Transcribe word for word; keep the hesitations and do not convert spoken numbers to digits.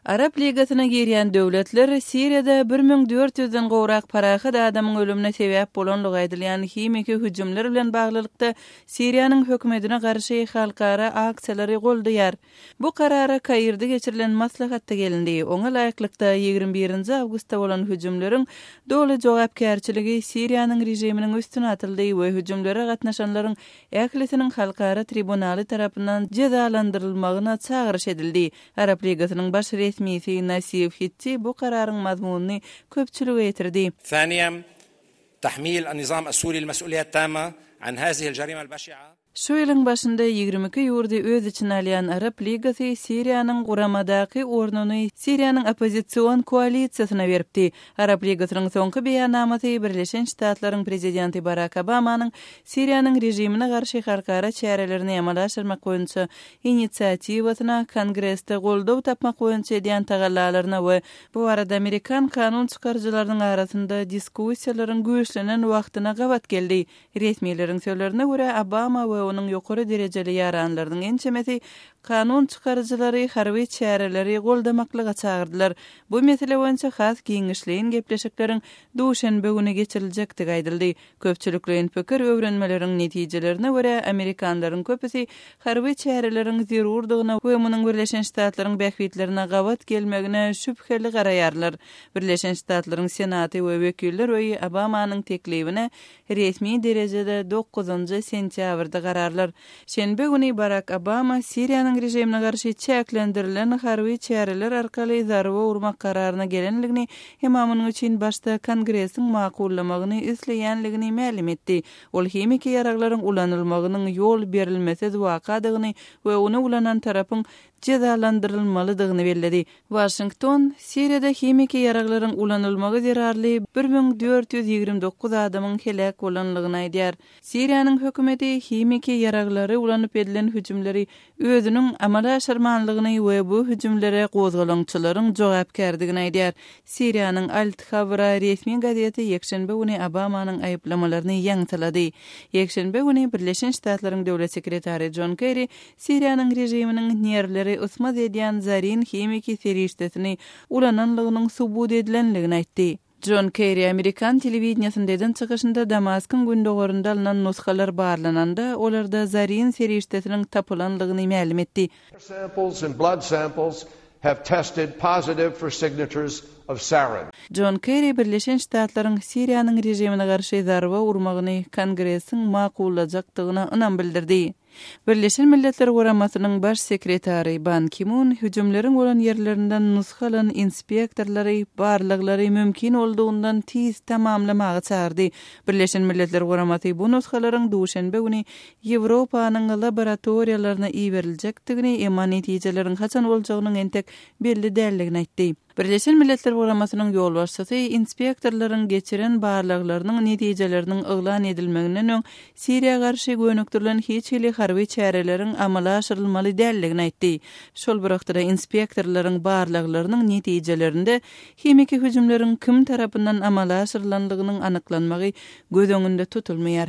Arap Ligasyna girýän döwletler Siriýada bir müň dört ýüzden gowrak parahat adamyň ölümine sebäp bolanlygy aýdylýan himiki hüjümler bilen baglylykda Siriýanyň hökümetine garşy halkara aksiýalary goldaýar. Bu karara Kairde geçirilen maslahatda gelindi. Oňa laýyklykda ýigrimi birinji awgustda bolan hüjümleriň doly jogapkärçiligi Siriýanyň režiminiň üstüne atyldy we hüjümlere gatnaşanlaryň ählisiniň halkara tribunaly tarapyndan jezalandyrylmagyna çagyryş edildi. Arap Ligasynyň baş resmisi Nasif Hitti bu kararyň mazmunyny köpçülige ýetirdi. Thaniýa, tahmil an-nizam as-suri al-mas'uliýat tamma an hazihi al-jarima al-bashi'a. Şu ýylyň başynda ýigrimi iki ýurdy öz içine alýan Arap Ligasy Siriýanyň guramadaky ornuny Siriýanyň oppozision koalisiýasyna beripdi. Arap Ligasynyň soňky beýannamasy Birleşen Ştatlaryň prezidenti Barak Obamanyň Siriýanyň režimine garşy halkara çärelerini amala aşyrmak boýunça inisiatiwasyna Kongresde goldaw tapmak boýunça edýän tagallalaryna we bu barada amerikan kanun çykaryjylarynyň arasynda diskussiýalaryň güýçlenen wagtyna gabat geldi. Resmileriň sözlerine görä, Obama we onuň ýokary derejeli ýaranlarynyň ençemesi kanun çykaryjylary harby çäreleri goldamaklyga çagyrdylar. Bu mesele boýunça has giňişleýin gepleşikleriň duşenbe güni geçiriljekdigi aýdyldy. Köpçülikleýin pikir öwrenmeleriň netijelerine görä, amerikanlaryň köpüsi harby çäreleriň zerurdygyna we munuň Birleşen Ştatlaryň bähbitlerine gabat gelmegine şübheli garaýarlar. Birleşen Ştatlaryň Senaty we Wekiller öýi Obamanyň teklibine resmi derejede dokuzynjy sentýabrda gararlar. Şenbe güni Barak Obama Siriýanyň režimine garşy çäklendirilen harby çäreler arkaly zarba urmak kararyna gelenligini, emma munuň üçin başda Kongresiň makullamagyny isleýänligini mälim etdi. Ol himiki ýaraglaryň ulanylmagynyň ýol berilmesiz wakadygyny we ony ulanan tarapyň jezalandyrylmalydygyny belledi. Waşington Siriýada himiki ýaraglaryň ulanylmagy zerarly bir müň dört ýüz ýigrimi dokuz adamyň heläk bolanlygyny aýdýar. Siriýanyň hökümeti himiki ýaraglary ulanyp edilen hüjümleri özüniň amala aşyrmanlygyny we bu hüjümlere gozgalaňçylaryň jogapkärdigini aýdýar. Siriýanyň Al-Thawra resmi gazeti ýekşenbe güni Obamanyň aýyplamalaryny ýaňsylady. Ýekşenbe güni Birleşen Ştatlaryň döwlet sekretary Jon Kerri Siriýanyň režiminiň nerwleri ysmaz edýän zarin himiki serişdesini ulananlygynyň subut edilenligini aýtdy. Jon Kerri amerikan telewideniýasynda eden çykyşynda Damaskyň gündogarynda alnan nusgalar barlananda, olarda zarin serişdesiniň tapylanlygyny mälim etdi. Samples and blood samples have tested positive for signatures of sarin. Jon Kerri Birleşen Ştatlaryň Siriýanyň režimine garşy zarba urmagyny Kongresiň makullajakdygyna ynam bildirdi. Birleşen Milletler Guramasynyň baş sekretary Ban Ki-mun hüjümleriň bolan ýerlerinden nusga alan inspektorlary barlaglary mümkin boldugyndan tiz tamamlamaga çagyrdy. Birleşen Milletler Guramasy bu nusgalaryň duşenbe güni Ýewropanyň laboratoriýalaryna iberiljekdigini, emma netijeleriň haçan boljagynyň entek belli däldigini aýtdy. Birleşen Milletler Guramasynyň ýolbaşçysy inspektorlaryň geçiren barlaglarynyň netijeleriniň yglan edilmeginden öň Siriýa garşy gönükdirilen hiç hili harby çäreleriň amala aşyrylmaly däldigini aýtdy. Şol bir wagtda inspektorlaryň barlaglarynyň netijelerinde himiki hüjümleriň kim tarapyndan amala aşyrylanlygynyň anyklanmagy göz öňünde tutulmaýar.